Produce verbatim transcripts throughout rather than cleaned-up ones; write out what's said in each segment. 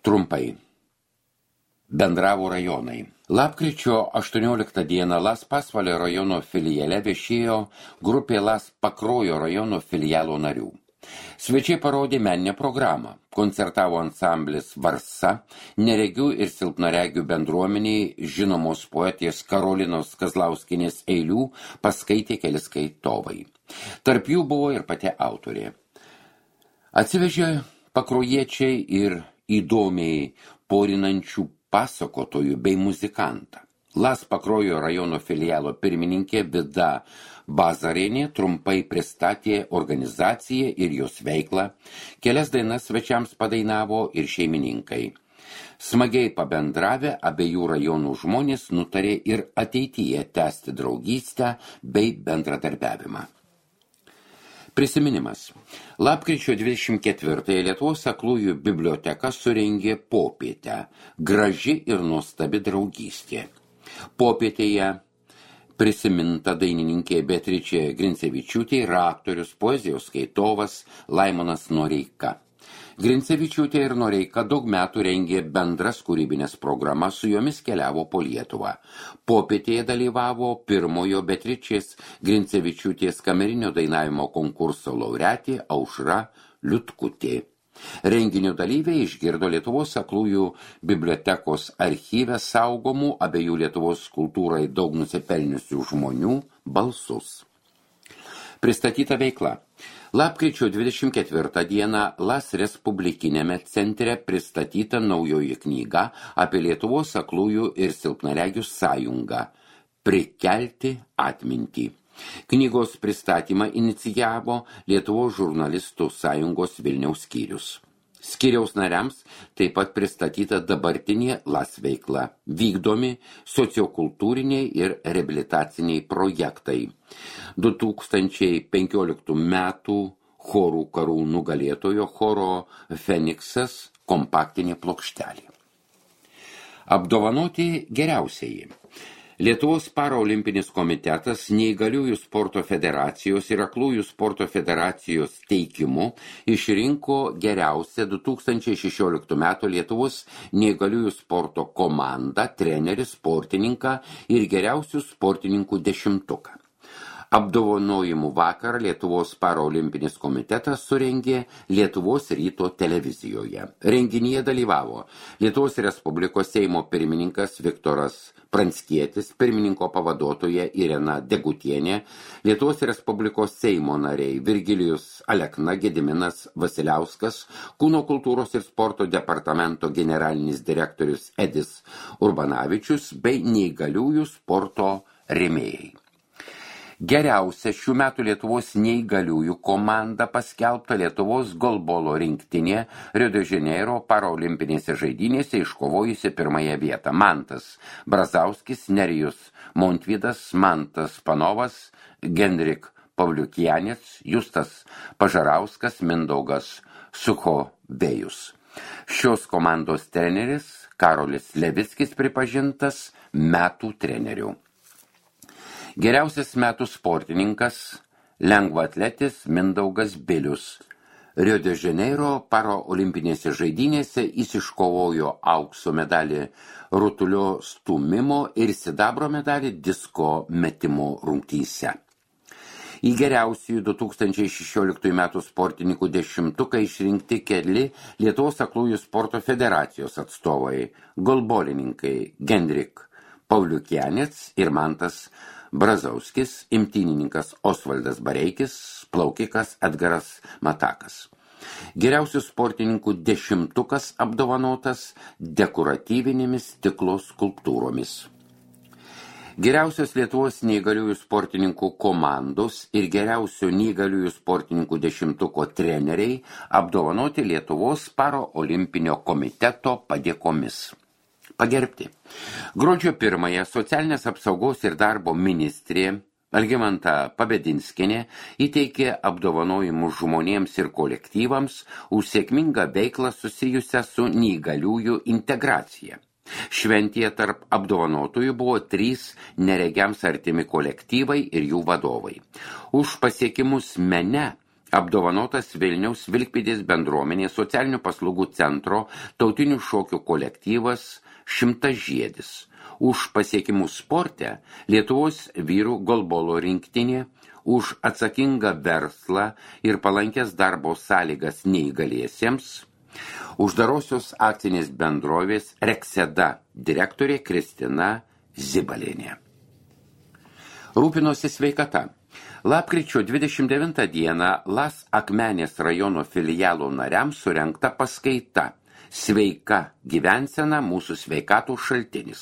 Trumpai. Bendravo rajonai. Lapkričio aštuonioliktą dieną Las Pasvalio rajono filiale viešėjo grupė Las Pakruojo rajono filialo narių. Svečiai parodė meninę programą. Koncertavo ansamblis Varsa, neregių ir silpnaregių bendruomeniai žinomos poetės Karolinos Kazlauskienės eilių paskaitė keli skaitovai. Tarp jų buvo ir pati autorė. Atsivežė pakrojiečiai ir įdomiai porinančių pasakotojų bei muzikantą. Las Pakruojo rajono filialo pirmininkė Vida Bazarienė trumpai pristatė organizaciją ir jos veiklą, kelias dainas svečiams padainavo ir šeimininkai. Smagiai pabendravę abiejų rajonų žmonės nutarė ir ateityje tęsti draugystę bei bendradarbiavimą. Prisiminimas. Lapkričio dvidešimt ketvirtąją Lietuvos aklųjų biblioteka surengė popietę Graži ir nuostabi draugystė. Popietėje prisiminta dainininkė Beatričė Grincevičiūtė ir aktorius, poezijos skaitovas Laimonas Noreika. Grincevičiūtė ir Noreika daug metų rengė bendras kūrybinės programas, su jomis keliavo po Lietuvą. Popietėje dalyvavo pirmojo Beatričės Grincevičiūtės kamerinio dainavimo konkurso laureatė Aušra Liutkutė. Renginio dalyviai išgirdo Lietuvos aklųjų bibliotekos archyve saugomų abiejų Lietuvos kultūrai daug nusipelniusių žmonių balsus. Pristatyta veikla. Lapkričio dvidešimt ketvirtą dieną Las Respublikinėme centre pristatyta naujoji knyga apie Lietuvos aklųjų ir silpnaregių sąjungą Prikelti atmintį. Knygos pristatymą inicijavo Lietuvos žurnalistų sąjungos Vilniaus skyrius. Skyriaus nariams taip pat pristatyta dabartinė Las veikla, vykdomi sociokultūriniai ir reabilitaciniai projektai. du tūkstančiai penkioliktų metų chorų karų nugalėtojo choro Feniksas kompaktinė plokštelė. Apdovanoti geriausieji. Lietuvos paraolimpinis komitetas Neįgaliųjų sporto federacijos ir Aklųjų sporto federacijos teikimu išrinko geriausią du tūkstančiai šešioliktų metų Lietuvos neįgaliųjų sporto komandą, trenerį, sportininką ir geriausių sportininkų dešimtuką. Apdovanojimų vakarą Lietuvos paraolimpinis komitetas surengė Lietuvos ryto televizijoje. Renginyje dalyvavo Lietuvos Respublikos Seimo pirmininkas Viktoras Pranckietis, pirmininko pavaduotoja Irena Degutienė, Lietuvos Respublikos Seimo nariai Virgilijus Alekna, Gediminas Vasiliauskas, Kūno kultūros ir sporto departamento generalinis direktorius Edis Urbanavičius bei neįgaliųjų sporto rėmėjai. Geriausia šių metų Lietuvos neįgaliųjų komanda paskelbta Lietuvos golbolo rinktinė Rio de Janeiro paraolimpinėse žaidynėse iškovojusi pirmąją vietą. Mantas Brazauskis, Nerijus Montvydas, Mantas Panovas, Genrik Pavliukianės, Justas Pažarauskas, Mindaugas Suchovėjus. Šios komandos treneris Karolis Levickis pripažintas metų treneriu. Geriausias metų sportininkas lengvaatletis Mindaugas Bilius. Rio de Janeiro paraolimpinėse žaidynėse jis iškovojo aukso medalį rutulio stūmimo ir sidabro medalį disko metimo rungtyse. Į geriausiųjų du tūkstančiai šešioliktųjų metų sportininkų dešimtuką išrinkti keli Lietuvos aklųjų sporto federacijos atstovai, golbolininkai Genrik Pavliukianės ir Mantas Brazauskis, imtynininkas Osvaldas Bareikis, plaukikas Edgaras Matakas. Geriausių sportininkų dešimtukas apdovanotas dekoratyvinėmis stiklo skulptūromis. Geriausios Lietuvos neįgaliųjų sportininkų komandos ir geriausių neįgaliųjų sportininkų dešimtuko treneriai apdovanoti Lietuvos paraolimpinio komiteto padėkomis. Pagerbti. Gruodžio pirmąją socialinės apsaugos ir darbo ministrė Algimanta Pabedinskienė įteikė apdovanojimus žmonėms ir kolektyvams už sėkmingą veiklą susijusią su neįgaliųjų integracija. Šventėje tarp apdovanotųjų buvo trys neregiams artimi kolektyvai ir jų vadovai. Už pasiekimus mene apdovanotas Vilniaus Vilkpėdės bendruomenės socialinių paslaugų centro tautinių šokių kolektyvas Šimtažiedis. Už pasiekimus sporte Lietuvos vyrų golbolo rinktinė, už atsakingą verslą ir palankės darbo sąlygas neįgaliesiems, uždarosios akcinės bendrovės Rekseda direktorė Kristina Zibalienė. Rūpinosi sveikata. Lapkričio dvidešimt devintą dieną Las Akmenės rajono filialo nariams surengta paskaita Sveika gyvensena mūsų sveikatų šaltinis.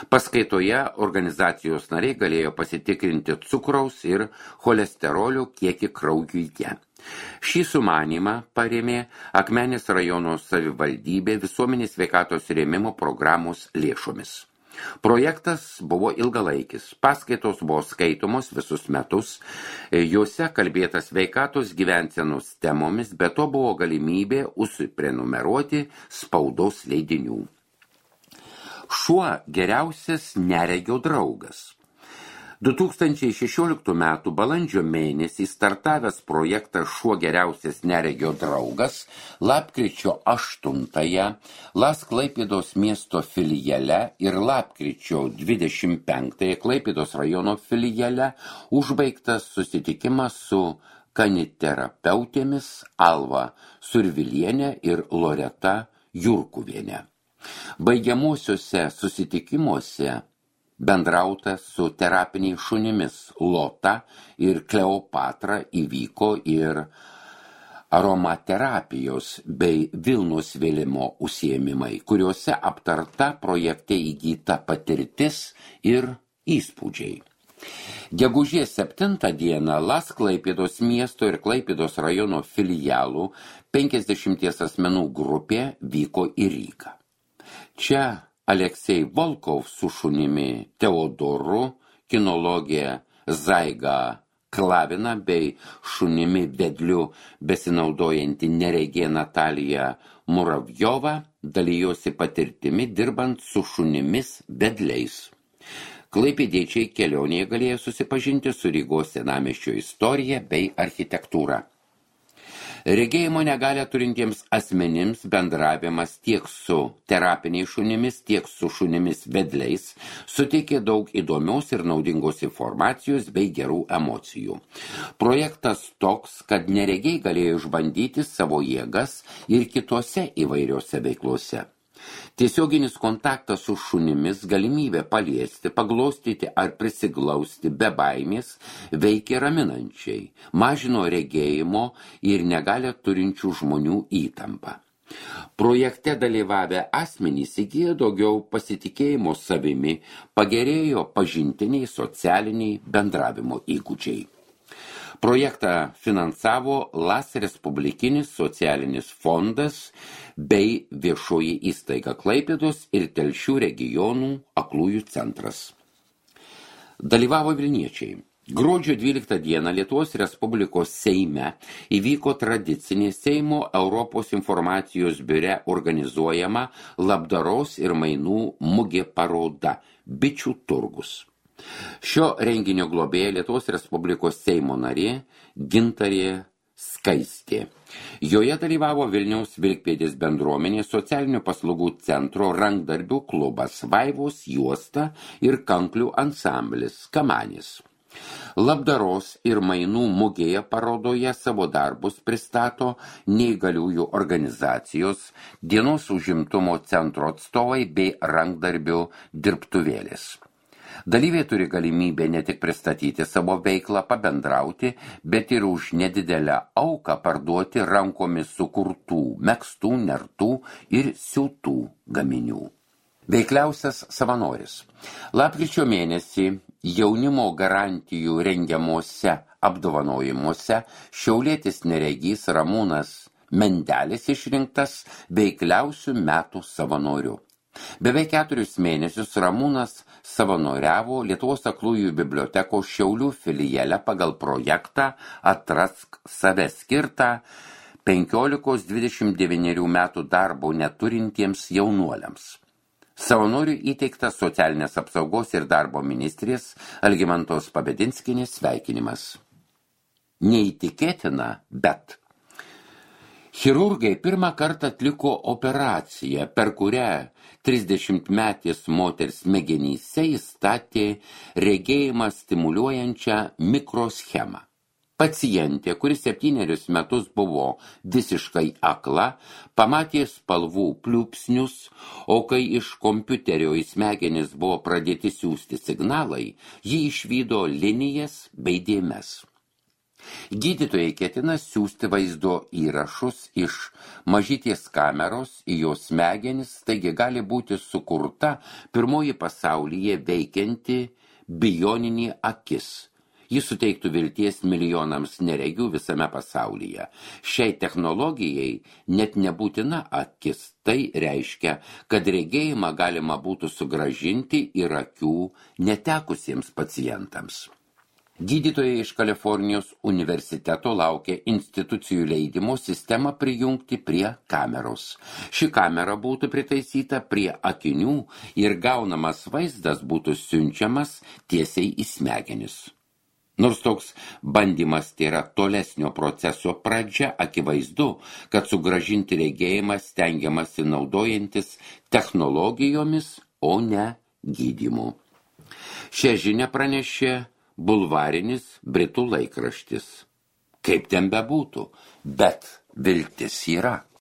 Paskaitoje organizacijos nariai galėjo pasitikrinti cukraus ir cholesterolio kiekį kraujuje. Šį sumanymą parėmė Akmenės rajono savivaldybė visuomenės sveikatos rėmimo programos lėšomis. Projektas buvo ilgalaikis, paskaitos buvo skaitomos visus metus, juose kalbėta sveikatos gyvensenos temomis, be to buvo galimybė užsiprenumeruoti spaudos leidinių. Šuo geriausias neregio draugas. du tūkstančiai šešioliktų metų balandžio mėnesį startavęs projektas Šuo geriausias neregio draugas lapkričio aštuntąją Las Klaipėdos miesto filiale ir lapkričio dvidešimt penktąją Klaipėdos rajono filiale užbaigtas susitikimas su kaniterapeutėmis Alva Survilienė ir Loreta Jurkuvienė. Baigiamuosiuose susitikimuose bendrauta su terapiniais šunimis Lota ir Kleopatra įvyko ir aromaterapijos bei Vilnos vėlimo užsiėmimai, kuriuose aptarta projekte įgyta patirtis ir įspūdžiai. Gegužės septintą dieną Las Klaipėdos miesto ir Klaipėdos rajono filialų penkiasdešimties asmenų grupė vyko į Rygą. Čia Aleksej Volkov su šunimi Teodoru, kinologė Zaiga Klavina bei šunimi vedliu besinaudojanti neregė Natalija Muravjova dalijosi patirtimi dirbant su šunimis vedliais. Klaipėdiečiai kelionėje galėjo susipažinti su Rygos senamiesčio istorija bei architektūra. Regėjimo negalią turintiems asmenims bendravimas tiek su terapiniais šunimis, tiek su šunimis vedliais suteikė daug įdomios ir naudingos informacijos bei gerų emocijų. Projektas toks, kad neregiai galėjo išbandyti savo jėgas ir kitose įvairiose veiklose. Tiesioginis kontaktas su šunimis, galimybė paliesti, paglostyti ar prisiglausti be baimės veikė raminančiai, mažino regėjimo ir negalią turinčių žmonių įtampą. Projekte dalyvavę asmenys įgyjo daugiau pasitikėjimo savimi, pagerėjo pažintiniai, socialiniai bendravimo įgūdžiai. Projektą finansavo Las Respublikinis socialinis fondas bei viešoji įstaiga Klaipėdos ir Telšių regionų aklųjų centras. Dalyvavo vilniečiai. Gruodžio dvyliktą dieną Lietuvos Respublikos Seime įvyko tradicinė Seimo Europos informacijos biure organizuojama labdaros ir mainų mugė paroda Bičių turgus. Šio renginio globėja Lietuvos Respublikos Seimo narė Gintarė Skaistė. Joje dalyvavo Vilniaus Vilkpėdės bendruomenės socialinių paslaugų centro rankdarbių klubas Vaivos juosta ir kanklių ansamblis Kamanis. Labdaros ir mainų mugėje parodoje savo darbus pristato neįgaliųjų organizacijos, dienos užimtumo centro atstovai bei rankdarbių dirbtuvėlės. Dalyviai turi galimybę ne tik pristatyti savo veiklą, pabendrauti, bet ir už nedidelę auką parduoti rankomis sukurtų, megztų, nertų ir siūtų gaminių. Veikliausias savanoris. Lapkričio mėnesį jaunimo garantijų rengiamuose apdovanojimuose šiaulietis neregys Ramūnas Mendelis išrinktas veikliausių metų savanoriu. Beveik keturis mėnesius Ramūnas savanoriavo Lietuvos aklųjų bibliotekos Šiaulių filiale pagal projektą Atrask save skirtą penkiolikos dvidešimt devynerių metų darbo neturintiems jaunuoliams. Savanoriui įteiktas socialinės apsaugos ir darbo ministrės Algimantos Pabedinskienės sveikinimas. Neįtikėtina, bet chirurgai pirmą kartą atliko operaciją, per kurią trisdešimtmetės moters smegenyse įstatė regėjimą stimuliuojančią mikroschemą. Pacientė, kuris septynerius metus buvo visiškai akla, pamatė spalvų pliūpsnius, o kai iš kompiuterio į smegenis buvo pradėti siųsti signalai, ji išvydo linijas bei dėmes. Gydytojai ketina siųsti vaizdo įrašus iš mažytės kameros į jos smegenis, taigi gali būti sukurta pirmoji pasaulyje veikianti bioninė akis. Jis suteiktų vilties milijonams neregių visame pasaulyje. Šiai technologijai net nebūtina akis. Tai reiškia, kad regėjimą galima būtų sugrąžinti ir akių netekusiems pacientams. Gydytojai iš Kalifornijos universiteto laukia institucijų leidimo sistemą prijungti prie kameros. Ši kamera būtų pritaisyta prie akinių ir gaunamas vaizdas būtų siunčiamas tiesiai į smegenis. Nors toks bandymas tai yra tolesnio proceso pradžia, akivaizdu, kad sugrąžinti regėjimą stengiamasi naudojantis technologijomis, o ne gydymu. Šią žinią pranešė bulvarinis Britų laikraštis. Kaip ten bebūtų, bet viltis yra.